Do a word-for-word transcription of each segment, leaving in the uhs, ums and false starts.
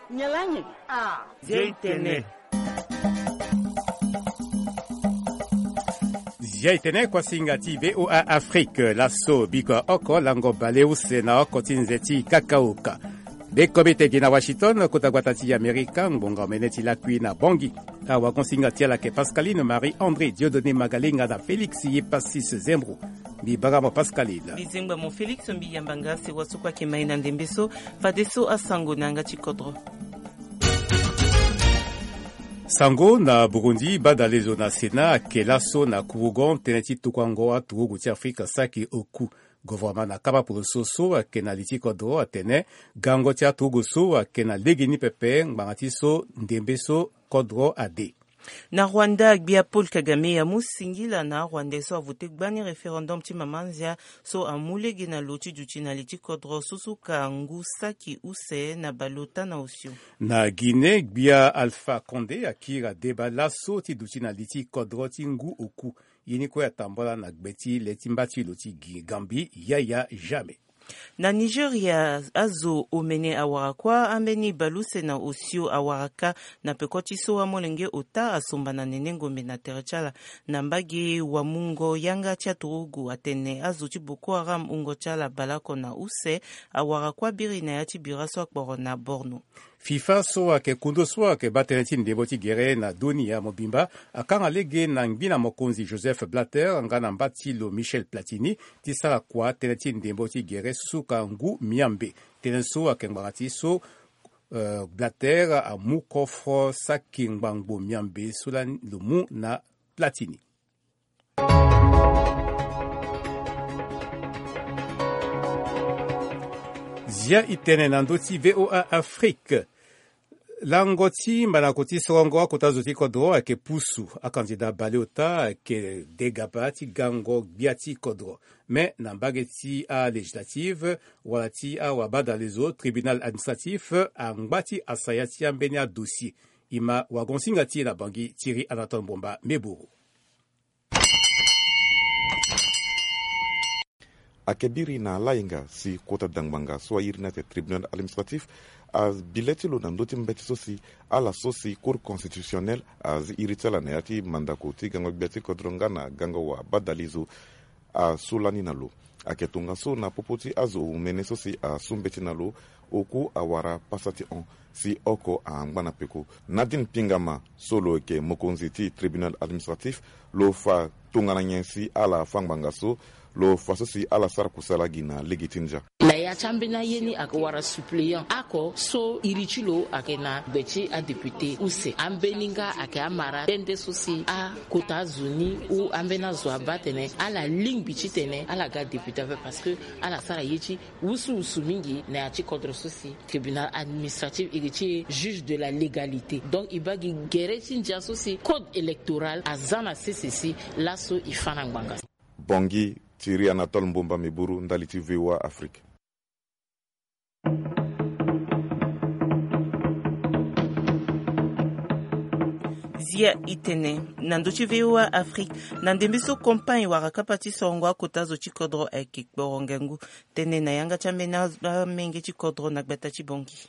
Nyen lani? Ah, Zia i tene. Zia i tene kuasinga ti V O A Afrique. Laso biko oko lango baleuse na oko ti nze ti kakaoka. Be kobe te gi na Washington, kota gbata ti Amerika, ngbonga omene ti lakui na Bangui. Awagonsinga ti ala ayeke Pascaline Marie André, Dieudonné Magalenga na Félix Yepasis Zembro. Mbi bara mo Pascaline. Mbi zengba mo Félix, mbi yamba nga sewa so kue ayeke mai na ndembe so. Fadeso asango na yanga ti kodro. Sango na Burundi, badalezo na Sénat ayeke laso na kurugon tënë ti tokuango aturugu ti Afrika saki oku. Gouvernement na kapa poroso so ayeke na li ti kodro atene gango ti aturugu so ayeke na legeni pepe ngbanga ti so ndembe so kodro ade. Na Rwanda, gbia Paul Kagame amu singila na Rwanda so avote gbani référendum ti mama nzia so amu lege na lo ti duti na li ti kodro so suka ngu saki use na baleota na osio. Na Guinée, gbia Alpha Condé akiri adeba laso ti duti na li ti kodro ti ngu oku. Ye ni kue atambola na gbe ti le ti mba ti lo ti Gambie, Yaya Jammeh. Na Nigeria, azo omene awara kuâ, ambeni baleuse na osio awara kâ. Na peko ti so amolenge ota asomba na nene ngombe na tere ti ala. Na mbage wamungo yanga ti aturugu atene azo ti Boko Haram wungo ti ala baleoko na use awara kuâ biri na ya ti bira so akporo na Borno. FIFA so ayeke kundu so ayeke baa tënë ti ndembo ti gere na dunia mobimba akanga lege na ngbi na mokonzi Joseph Blatter nga na mba ti lo Michel Platini ti sara kua tënë ti ndembo ti gere so suka ngu miambe. Tënë so ayeke ngbanga ti so, eh, Blatter amu kofro saki ngbangbo miambe so lani lo mu na Platini. Zia i tene na ndö ti V O A Afrique. Lango ti mandango ti sorongo akota zo ti kodro ayeke pusu. Akandida baleota ayeke degaba ti gango gbia ti kodro. Me na mbage ti alégislative wala ti awabadalezo, tribunal administratif angba ti asaya ti ambeni adossier. E ma wagonsinga ti e na Bangui, Thierry Anatole Mbomba Meburu. Ayeke biri na layenga si kota dangbanga so airi ni ate tribunal administratif abi le ti lo na ndö ti mbeti so si ala so si Cour constitutionnelle azi iri ti ala na ya ti mandako ti gango gbia ti kodro nga na gango wabadalezo asu lani na lo. Ayeke tongaso na popo ti azo omene so si asu mbeti na lo, oku awara pasa ti hon si oko angba na peko. Nadine Pingama so lo yeke mokonzi ti tribunal administratif, lo fa tongana nyen si ala fa ngbanga so, lo fa so si ala sara kusala gi na lege ti ndia. Na ya ti ambeni aye ni ayeke wara suppléant oko so iri ti lo ayeke na gbe ti adéputé use. Ambeni nga ayeke amara nde nde so si akota azo ni ou ambeni azo abaa atene ala lingbi titene ala ga député ape parce que ala sara ye ti wusuwusu mingi na ya ti kodro so si tribunal administratif iri ti e juge de la légalité. Donc e baa gi gere ti ndia so si code électoral aza na sese si laso e fa na ngbanga. Bangui, Thierry Anatole Mbomba Meburu, ndali ti V O A Afrique. Zia i tene na ndö ti V O A Afrique, na ndembe so campagne wara kapa ti sorongo akota zo ti kodro ayeke kporo ngangu. Tene na yanga ti ambeni amenge ti kodro na gbata ti Bangui.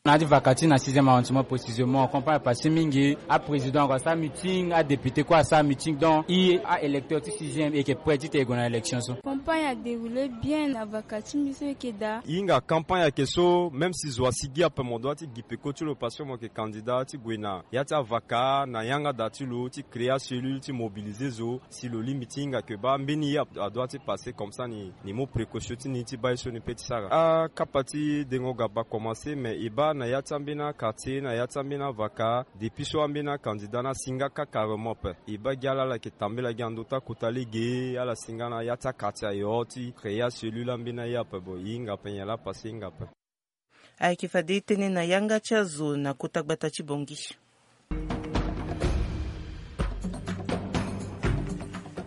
Na ya ti vaka ti na sixième arrondissement précisément, campagne apase mingi. Aprésident ako asara meeting, adéputé kue asara meeting. Donc e, aélecteur ti sixième e yeke prêt titene e gue na élection so. Campagne adéroulé bien na vaka ti mbi so e yeke daa. E hinga campagne ayeke so, même si zo asigi ape, mo dua ti gi peko ti lo parce que mo yeke candidat ti gue na ya ti avaka na yanga da ti lo ti créer acellule ti mobiliser zo. Si lo lingbi ti hinga ke baa mbeni ye adua ti passe comme ça ni, ni mu précaution ti ni ti baa ye so ni pe ti sara. Akapa ti dengo gaba commencer, mais e baa na ya ti ambeni aquartier, na ya ti ambeni avaka, depuis so ambeni acandidat ni asinga kâ carrément ape. E baa gi ala ala yeke tambela gi na ndö ti akota lege, ala singa na ya ti aquartier ayo ti créer acellule ambeni aye ape. Bon e hinga ape, nyen laa passe e hinga ape. Ayeke fade tënë na yanga ti azo na kota gbata ti Bangui.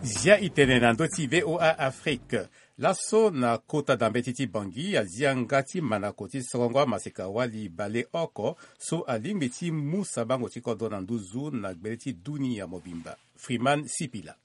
Zia i tene na ndö ti V O A Afrique. Laso na kota dambeti ti Bangui, azi yanga ti mandako ti sorongo amaseka-wali baleoko so alingbi ti mu sabango ti kodro na nduzu na gbele ti dunia mobimba, Freeman Sipila.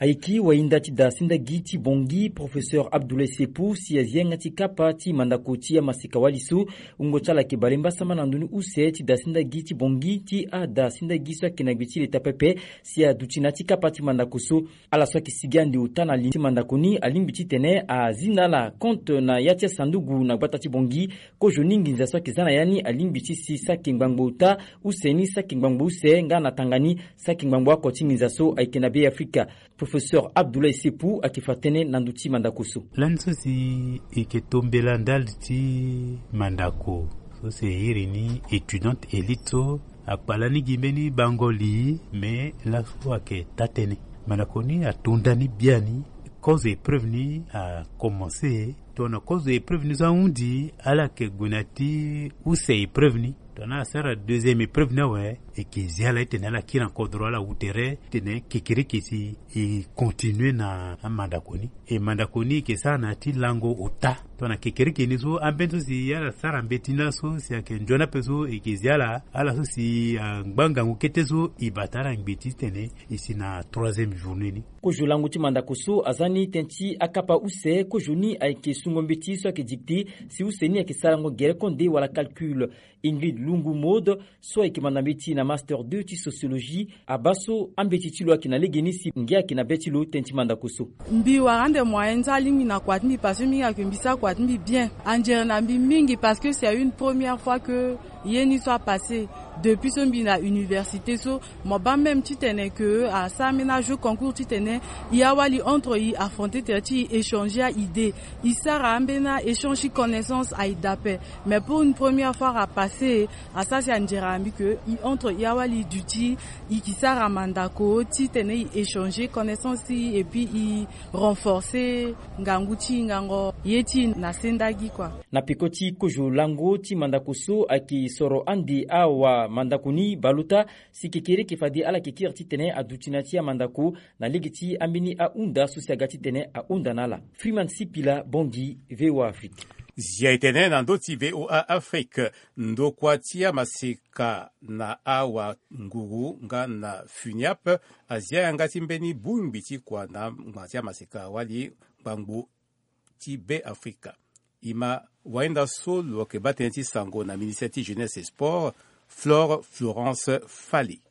Ayeke wahinda ti da sendagi ti Bangui, professeur Abdoulaye Seppou, si azi yanga ti kapa ti mandako ti amaseka-wali so. Wungo ti ala ayeke bale mbasambala na ndoni use ti da sendagi ti Bangui ti ada sendagi so ayeke na gbe ti leta pepe, si aduti na ya ti kapa ti mandako so. Ala so ayeke sigi ande ota na li ti mandako ni alingbi titene azi na ala compte na ya ti asanduku na gbata ti Bangui. Kozo ni nginza so ayeke za na ya ni alingbi ti si saki ngbangbo ota, use ni saki ngbangbo use, nga na tanga ni saki ngbangbo oko ti nginza so ayeke na Be Afrika. Professeur Abdoulaye Seppou ayeke fa tënë na ndö ti mandako so. Lani so si e yeke tombela ndali ti mandako so si e iri ni étudiante élite so, akpala ni gi mbeni bango li, me laso ayeke taa-tënë. Mandako ni ato nda ni biani. Kozo épreuve ni akomanse. Tongana kozo épreuve ni so ahundi, ala yeke gue na ya ti use épreuve ni. Tongana asara deuxième épreuve ni awe, e yeke zi ala titene ala kiri na kodro, ala wu tere titene kekereke si e continue na amandako ni. E mandako ni e yeke sara na ya ti lango ota. Tongana kekereke ni so, ambeni so si ala sara mbeti ni laso si ayeke nzoni ape so, e yeke zi ala, ala so si angba ngangu kete so, e bata ala ngbe ti titene e si na troisième journée ni. Kozo lango ti mandako so aza ni tënë ti akapa use. Kozo ni ayeke sungo mbeti so ayeke dictée, si use ni ayeke sarango gere konde wala calcul. Ingrid Lungu Maud, so ayeke manda mbeti na master deux ti sociologie, abaa so ambeti ti lo ayeke na legeni si ngia ayeke na be ti lo tënë ti mandako so. Mbi wara ande moyen ti alingbi na kua ti mbi parce que mbi hinga ke mbi sara kua ti mbi bien. Anzere na mbi mingi parce que c'est une première fois que ye ni so apasse. Depuis so mbi na université so, mo baa même titene ke asara ambeni ajeu concours titene e awali entre e affronter tere ti e échanger a-idée. E sara ambeni a-échange ti connaissance aye daa ape. Mais pour une première fois apasse, asara si anzere na mbi ke e entre e awali duti, e ke sara mandako titene e échanger connaissance ti e, et puis e renforcer ngangu ti hingango ye ti e na sendagi kua. Na peko ti kozo lango ti mandako so ayeke soro ande awa mandako ni baleota, si kekereke fade ala yeke kiri titene aduti na ya ti amandako na lege ti ambeni ahunda so si aga titene ahunda na ala. Freeman Sipila, Bangui, V O A Afrique. Zia e tene na ndö ti V O A Afrique, ndokua ti amaseka na awanguru nga na FUNIAP azia yanga ti mbeni bongbi ti kua na ngbanga ti amaseka-wali ngbangbo ti Be Afrika. E ma wahinda so lo yeke baa tënë ti sango na ministère ti jeunesse et sport, Flore Florence Fally.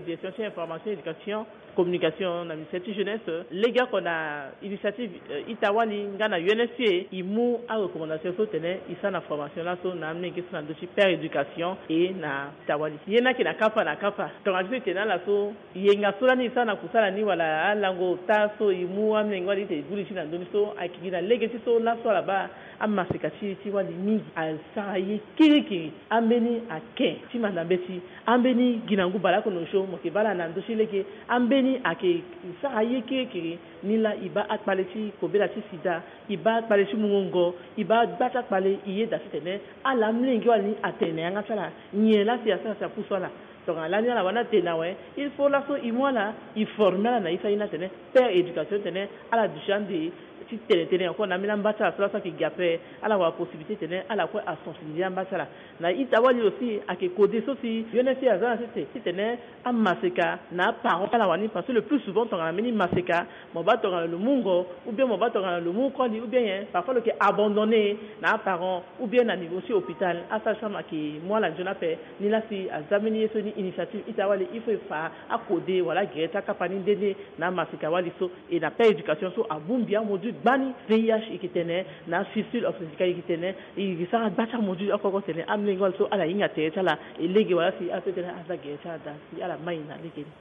Direction ti information, éducation, communication na ministère ti jeunesse, legeoko na initiative, euh, ita-wali nga na U N F P A, e mu arecommandation so tene e sara na formation laso na amolenge so na ndö ti père éducation et na ita-wali. Ye ni ayeke na kapa na kapa. Tongana ti so e tene na ala so, yenga so lani e sara na kusala ni wala alango ota so e mu amolenge wali ti e gbu li ti na ndö ni so, ayeke gi na lege ti so laso ala baa amaseka ti e ti wali mingi asara ye kirikiri. Ambeni ake ti manda mbeti, ambeni gi na ngu baleoko na osio mo yeke baa ala na ndö ti lege, ambeni ayeke sara ye kirikiri. Nilaa e baa akpale ti kobela ti sida, e baa akpale ti mungo ngo, e baa gba ti akpale, e yeda titene ala amolenge wala ni atene na yanga ti ala nyen laa si asara si apusu ala. Tongana lani ala wani atene awe, il faut laso e mu ala, e former ala na ye ti aye ni atene père éducation tene ala duti ande ti tene tënë encore na ambeni amba ti ala so laso ayeke ge ape, ala wara possibilité tene ala kue asensibiliser amba ti ala. Na ita-wali aussi ayeke kode so si U N F P A aza na sese titene amaseka na aparent ti ala wani, parce que le plus souvent tongana mbeni maseka, mo baa tongana lo mu ngo, ou bien mo baa tongana lo mu koli, ou bien nyen, parfois lo yeke abandonné na aparent, ou bien na niveau ti hôpital, asage-femme ayeke mu ala nzoni ape. Nilaa si aza mbeni ye so ni initiative ita-wali, il faut e fa akode wala agere ti akapa ni nde nde na amaseka-wali so. E na père éducation so abongbi amodule gbani, V I H e yeke tene, na fistule obstétricale e yeke tene, e yeke sara gba ti amodule oko oko tene amolenge wali so ala hinga tere ti ala, e lege wala si ala so tene aza gere ti ala daa si ala mai na lege ni.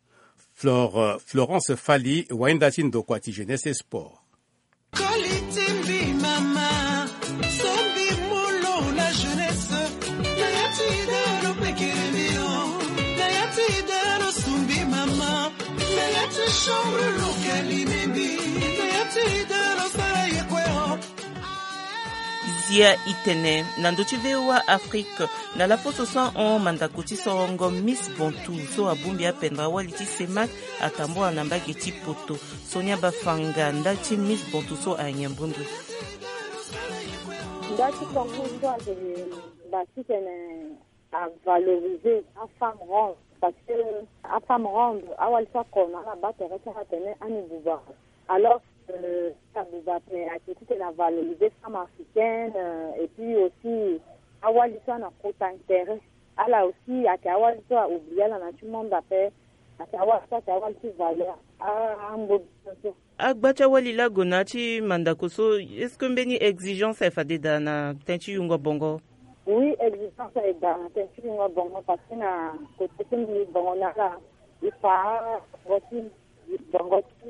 Flore, euh, Florence Fally, wahinda ti ndokua ti jeunesse et sport. Koli ti mbi mama, so mbi mu lo na jeunesse, na ya ti ida lo pekere mbi o, na ya ti ida lo su mbi mama, na ya ti chambre lo kali mbi mbi, na ya ti ida lo sara ye kue o. Zia e tene na ndö ti V O A Afrique, na laposo so ahon mandako ti sorongo Miss Bantou so abongbi apendra-wali ti CEMAC atambula na mbage ti poto. Sonia Bafanga, ndali ti Miss Bantou so, anyen mbundu. Ndali ti concours so ayeke bâ titene avaloriser afemme ronde. Parce que afemme ronde awali so akono ala baa tere ti ala atene ani buba. Alors, euh, abuba ape ake titene avaloriser femme africaine, euh, et puis aussi awali so ana kota intérêt. Ala aussi ake awali so a oublier ala na ti monde ape. Ake awali so ake awali ti valeur. Ah, angbo biso so. Agba ti awali laa ague na ya ti mandako so, est-ce que mbeni exigence aye fade daa na tënë ti yungo bongo? Oui, exigence aye daa na tënë ti yungo bongo, parce que na kote ti mbi bongo na ala, il faut bongo ti, bongo ti,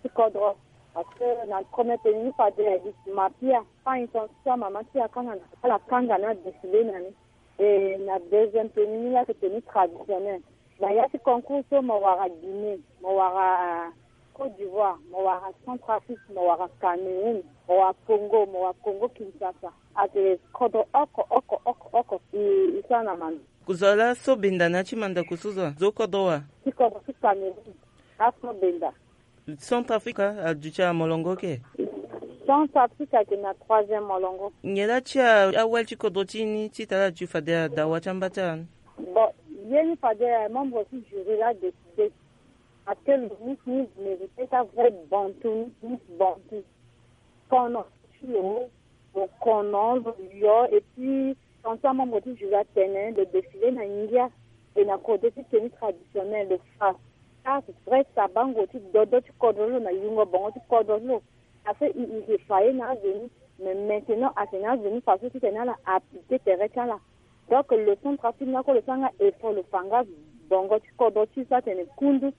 ti kodro. Parce que na premier tenue ni fade aye gi mapia, pas intention mama ti akanga na ala kanga na défilé na ni. Et na deuxième tenue ni laa ake tenue traditionnelle. Na ya ti concours so mo wara Guinée, mo wara Côte d'Ivoire, mo wara Centrafrique, mo wara Cameroun, mo wara Congo, mo wara Congo Kinshasa. Ake kodro oko oko oko oko i, i sara na manda. Kozala so benda na ya ti mandako so zo, zo kodro wa? Ti kodro ti Cameroun. Aso benda. Centrafrique aduti amolongo ke? Centrafrique ayeke na troisième molongo. Nyen la ti a, awali ti kodro ti ni ti tara ti fade adawa ti amba ti ala ni? Bon, ye ni fade membre ti jury la décidé. Parce que le Miss ni mérité ta vrai bantu, Miss bantu. Kono ti lo, lo kono lo yo, et puis ensemble membre ti jury atene le défilé na ngia et na kodro ti tenue traditionnelle lo fa. Ah, vrai sabango ti dodo ti kodro ti lo na yungo bongo ti kodro ti lo. Afe i, i ke fa ye na aveni. Mais maintenant ake na aveni façon titene ala appliquer tere ti ala. Donc lo Centrafrique ni ako lo sara nga effort, lo fa nga bongo ti kodro ti so atene kundu.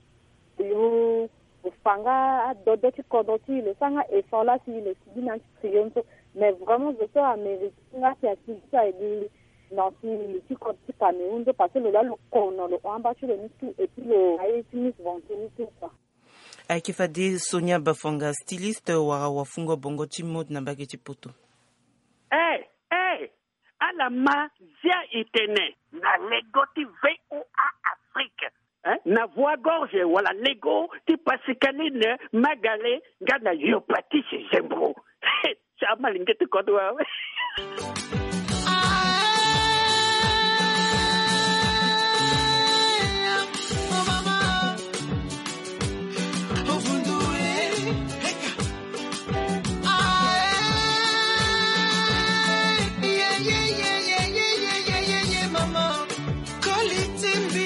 Lo, lo fa nga adodo ti kodro ti lo sara nga effort la si lo sigi na ti trio ni so. Mais vraiment zo so amérite nga si asigi so aye gi na ti, ti kodro ti Cameroun so, parce que lo laa lo kono lo hon amba ti lo ni tout, et puis lo aye ti Miss Bantu ni tout quoi. Ayeke fade Sonia Bafonga, styliste wala wafungo bongo ti mode na mbage ti poto. Eh, eh, ala ma zia e tene na lego ti V O A Afrique, hein? Na voix gorge wala lego ti Pascaline Magale nga na Yopatis Zembro. Sa malenge ti kodro awe.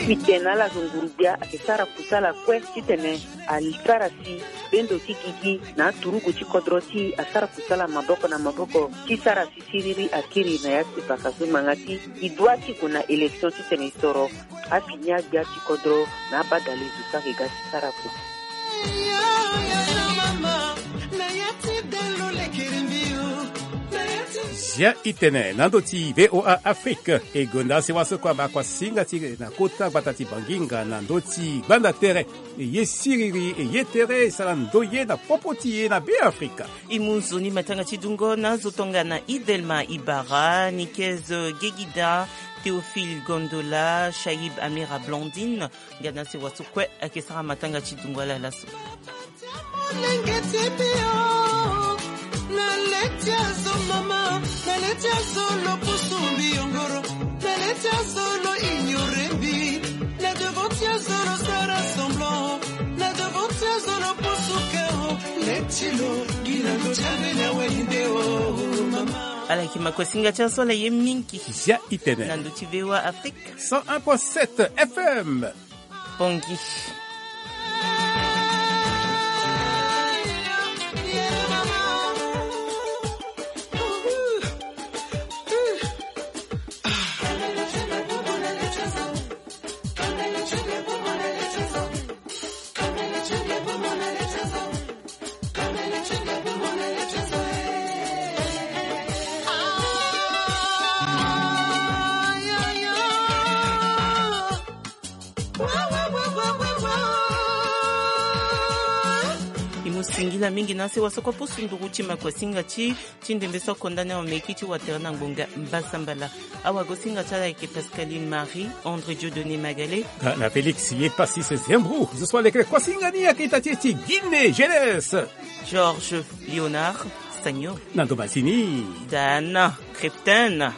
Mbi tene na ala zo nguru-gbia ayeke sara kusala kue titene asara si bendo ti gigi na aturugu ti kodro ti e asara kusala maboko na maboko ti sara si siriri akiri na ya ti baka so ngbanga ti e dua ti gue na élection titene e soro afini agbia ti kodro na abadale zo so ayeke ga ti sara kua. Zia e tene na ndö ti V O A Afrique. E gonda sewa so kue abaa kuasinga ti e na kota gbata ti Banginga na ndö ti gbanda tere. E ye siriri, e ye tere, e sara ndoye na popo ti e na Beafrika. E mu nzoni matanga ti dungo na azo tongana Idelma Ibara, Nikez Gegida, Théophile Gondola, Shaib Amira Blandine. Nga na sewa so kue ayeke sara matanga ti dungo ala laso. Molenge ti bio, na le ti azo mama, na le ti azo lo pusu mbi yongoro, na le ti azo lo ignore mbi, na devant ti azo lo sara semblant, na devant ti azo lo pusu keo, le ti lo gi na ndo ti ambeni awali nde o mama. Ala yeke makosinga ti aso ala ye mingi. Zia e tene na ndo ti V O A Afrique. Cent un point sept F M. Pongi. E mu singila mingi na sewa so kue pusu nduru ti makosinga ti, ti ndembe so akonda ni aomeki ti watere na ngbonga mbasambala. Awagosinga ti ala ayeke Pascaline Marie, André Dieudonné Magale. Nga na Félix Yepassis Zembrou, zo so alekere kosinga ni ayeke ita ti e ti Guinée Jeunesse. Georges Léonard Sagno. Na ndo masini. Dana Creptin.